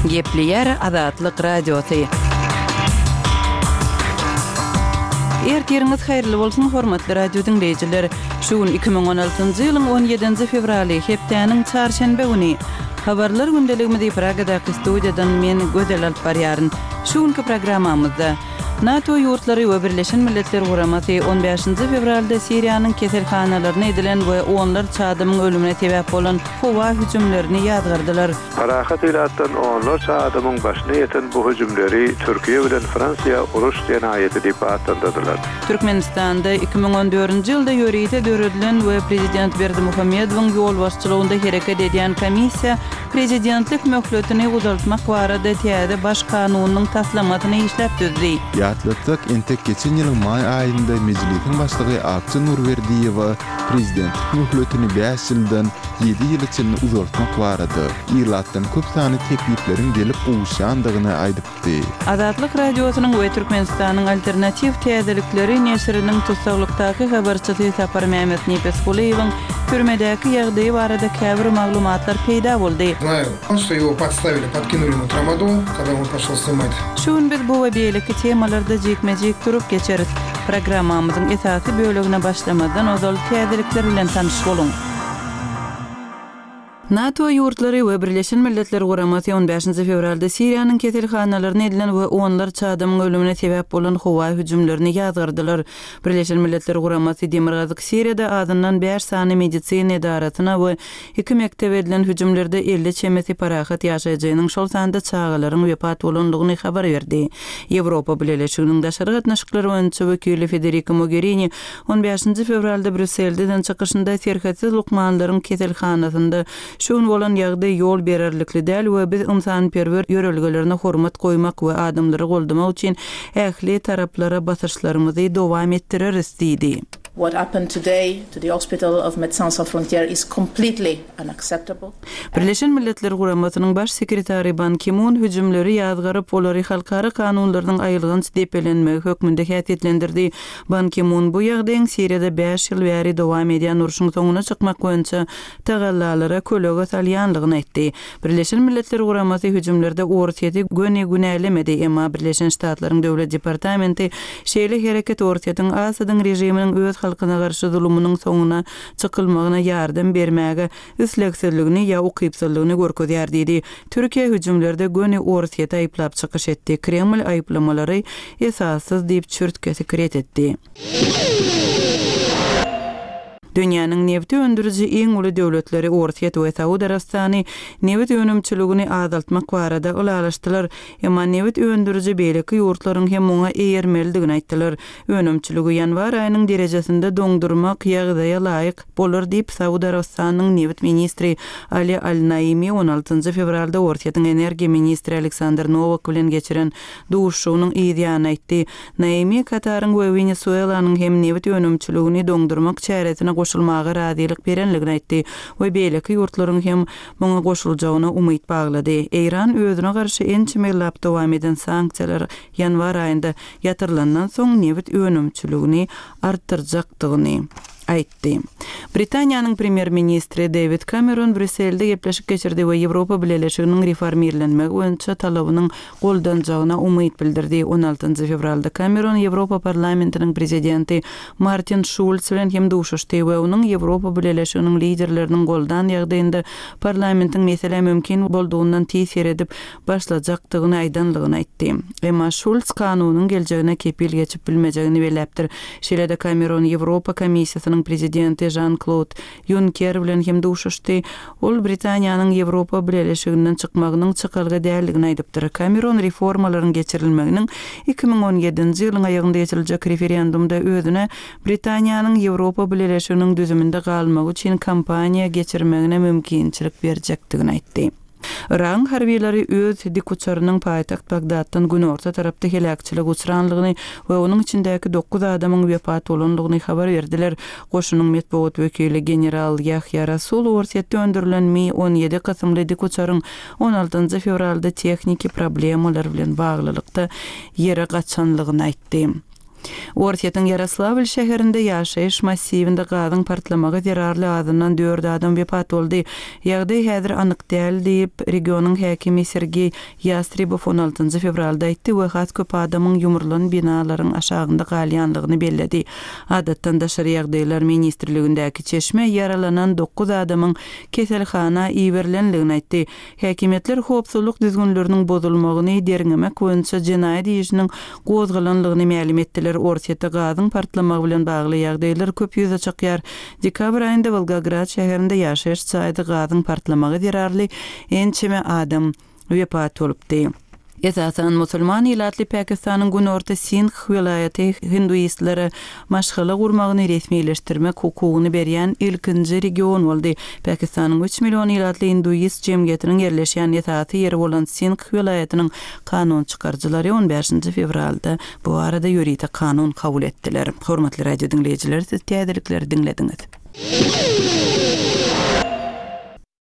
Gepleýär Azatlyk Radiosy. Ertiriňiz haýyrly bolsun, hormatly radio diňleýjiler! Şu gün 2016-njy ýylyň 17-nji fewraly, hepdäniň çarşenbe güni. Habarlar gündeligimizi Pragadaky studiýadan men, Gözel alyp barýaryn. Şu günki programmamyzda. NATO ýurtlary we Birleşen Milletler Guramasy on bäşinji fewralda Siriýanyň keselhanalaryna edilen we onlarça adamyň ölümine sebäp bolan howa hüjümlerini ýazgardylar. Parahat ilatdan onlarça adamyň başyna ýeten bu hüjümleri Türkiýe bilen Fransiýa uruş jenaýaty diýip atlandyrdylar. Türkmenistanda 2014-nji ýylda ýörite döredilen we prezident Berdimuhamedowyň ýolbaşçylygynda hereket edýän komissiýa Prezidentlik möhletini uzaltmak barada täze Baş kanunynyň taslamasyny işläp düzdi. Ýatlatsak, entek geçen ýylyň maý aýynda Mejlisiň başlygy Akja Nurberdiýewa prezidentlik möhletini bäş ýyldan ýedi ýyla çenli uzaltmak barada ilatdan köp sanly teklipleriň gelip gowuşýandygyny aýdypdy. aýtdy. Azatlyk Radiosynyň we Türkmenistanyň Alternatiw täzelikleri neşiriniň tussaglykdaky habarçysy Saparmämmet Nepesgulyýewiň türmedäki ýagdaýy barada käbir maglumatlar peýda boldy. Znaýu, şto ýego podstawili, podkinuli ýemu tramadol, kogda on poşol snimat. Şu gün biz bu we beýleki temalarda jikme-jik durup geçeris. Programmamyzyň esasy bölegine başlamazdan ozal täzelikler bilen tanyş boluň. NATO ýurtlary we Birleşen Milletler Guramasy on bäşinji fewralda Siriýanyň keselhanalaryna edilen we onlarça adamyň ölümine sebäp bolan howa hüjümlerini ýazgardylar. Birleşen Milletler Guramasy demirgazyk Siriýada azyndan bäş sany medisina edarasyna we iki mekdebe edilen hüjümlerde 50 çemesi parahat ýaşaýjynyň, şol sanda çagalaryň wepat bolandygyny habar berdi. Ýewropa Bileleşiginiň daşary gatnaşyklar boýunça wekili Federika Mogerini On bäşinji fewralda Brýusselde eden çykyşynda serhetsiz lukmanlaryň keselhanasynda şu gün bolan ýagdaý ýol bererlikli däl we biz ynsanperwer ýörelgelerine hormat goýmak we adamlary goldamak üçin ähli taraplara basyşlarymyzy dowam etdireris diýdi. What happened today to the hospital of Médecins Sans Frontières is completely unacceptable. Birleşen Milletler Guramasynyň Baş sekretary Ban Ki-mun hüjümleri ýazgaryp, olary halkara kanunlarynyň aýylganç depelenmegi hökmünde häsiýetlendirdi. Ban Ki-mun bu ýagdaýyň Siriýada bäş ýyl bäri dowam edýän urşuň soňuna çykmak boýunça tagallalara kölege salýanlygyny aýtdy. Birleşen Milletler Guramasy hüjümlerde Orsýeti göni günälemedi, emma Birleşen Ştatlaryň Döwlet departamenti şeýle hereket Orsýetiň Asadyň režiminiň öz halkyna garşy zulumynyň soňuna çykylmagyna ýardam bermäge islegsizligini ýa ukypsyzlygyny görkezýär diýdi. Türkiýe hüjümlerde göni Orsýeti aýyplap çykyş etdi. Kreml aýyplamalary esassyz diýip çürt-kesik ret etdi. Dünýäniň nebti öndüriji iň uly döwletleri Orsýet we Saud Arabystany nebit önümçiligini azaltmak barada ylalaşdylar. Emma nebit öndüriji beýleki ýurtlaryň hem muňa eýermelidigini aýtdylar. Önümçiligi ýanwar aýynyň derejesinde doňdurmak ýagdaýa laýyk bolar diýip, Saud Arabystanynyň nebit ministri Ali Al-Naimi on altynjy fewralda Orsýetiň energiýa ministri Aleksandr Nowak bilen geçiren duşuşygynyň yz ýany aýtdy. Naimi Kataryň we Wenesuelanyň hem nebit önümçiligini doňdurmak çäresine goşulmaga razylyk berenligini aýtdy we beýleki ýurtlaryň hem muňa goşuljagyna umyt baglady. Eýran özüne garşy ençeme ýyllap dowam eden sanksiýalar ýanwar aýynda ýatyrylandan soň nebit önümçiligini artdyrjakdygyny aýtdy. Britaniýanyň premýer-ministri Dewid Kameron Brýusselde gepleşik geçirdi we Ýewropa Bileleşiginiň reformirlenmegi boýunça talabynyň goldanjagyna umyt bildirdi. On altynjy fewralda Kameron Ýewropa Parlamentiniň prezidenti Martin Şulz bilen hem duşuşdy we onuň Ýewropa Bileleşiginiň liderleriniň goldan ýagdaýynda parlamentiň meselä mümkin boldugyndan tiz seredip başlajakdygyny aýdanlygyny aýtdy. Emma Şulz kanunyň geljegine kepil geçip bilmejegini belläpdir. Şeýle-de Kameron Ýewropa Komissiýasynyň prezidenti Žan-Klod Ýunker bilen hem duşuşdy. Ol Britaniýanyň Ýewropa Bileleşiginden çykmagynyň çykalga däldigini aýdypdyr. Kameron reformalaryň geçirilmeginiň 2017-nji ýylyň aýagynda geçiriljek referendumda özüne Britaniýanyň Ýewropa Bileleşiginiň düzüminde galmagy üçin kampaniýa geçirmegine mümkinçilik berjekdigini aýtdy. Yragyň harbylary öz dikuçarynyň paýtagt Bagdatdan günorta tarapda heläkçilige uçranlygyny we onuň içindäki dokuz adamyň wepat bolandygyny habar berdiler. Goşunyň metbugat wekili general Ýahýa Rasul Orsýetde öndürilen Mi 17 kysymly dikuçaryň on altynjy fewralda tehniki problemalar bilen baglylykda ýere gaçanlygyny aýtdy. Orsýetiň Ýaroslawl şäherinde ýaşaýyş massiwinde gazyň partlamagy zerarly azyndan dört adam wepat boldy. Ýagdaý häzir anyk däl diýip, regionyň häkimi Sergeý Ýastrebow on altynjy fewralda aýtdy we has köp adamyň ýumrulan binalaryň aşagynda galýanlygyny belledi. Adatdan daşary ýagdaýlar ministrligindäki çeşme ýaralanan dokuz adamyň keselhana iberilenligini aýtdy. Häkimiýetler howpsuzlyk düzgünleriniň bozulmagyny derňemek boýunça jenaýat işiniň gozgalanlygyny mälim etdiler. Orsýetde gazyň partlamagy bilen bagly ýagdaýlar köp ýüze çykýar. Dekabr aýynda Wolgograd şäherinde ýaşaýyş jaýda gazyň partlamagy zerarly ençeme adam wepat bolupdy. Esasan musulman ilatly Pakistanyň günorta Sindh welaýaty hinduistlere maşgala gurmagyny resmileşdirmek hukugyny berýän ilkinji region boldy. Pakistanyň üç million ilatly induist jemgyýetiniň ýerleşýän esasy ýeri bolan Sindh welaýatynyň kanun çykaryjylary on bäşinji fewralda bu barada ýörite kanun kabul etdiler. Hormatly radio diňleýjiler, siz täzelikleri diňlediňiz.